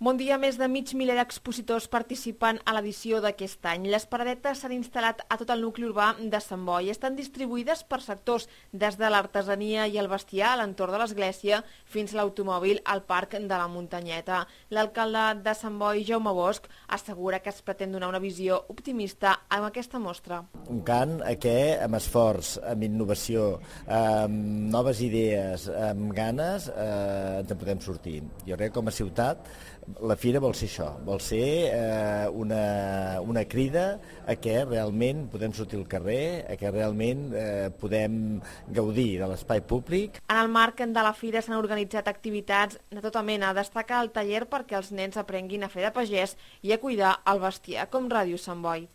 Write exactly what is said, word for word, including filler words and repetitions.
Bon dia, més de mig miler d'expositors participen a l'edició d'aquest any. Les paradetes s'han instal·lat a tot el nucli urbà de Sant Boi. Estan distribuïdes per sectors, des de l'artesania i el bestiar a l'entorn de l'església fins a l'automòbil al Parc de la Muntanyeta. L'alcalde de Sant Boi, Jaume Bosch, assegura que es pretén donar una visió optimista amb aquesta mostra. Un cant a què, amb esforç, amb innovació, amb noves idees, amb ganes, eh, ens en podem sortir. Jo crec que com a ciutat la fira vol ser això, vol ser eh, una, una crida a què realment podem sortir al carrer, a què realment eh, podem gaudir de l'espai públic. En el marc de la fira s'han organitzat activitats de tota mena. Destaca el taller perquè els nens aprenguin a fer de pagès i a cuidar el bestiar, com Ràdio Sant Boi.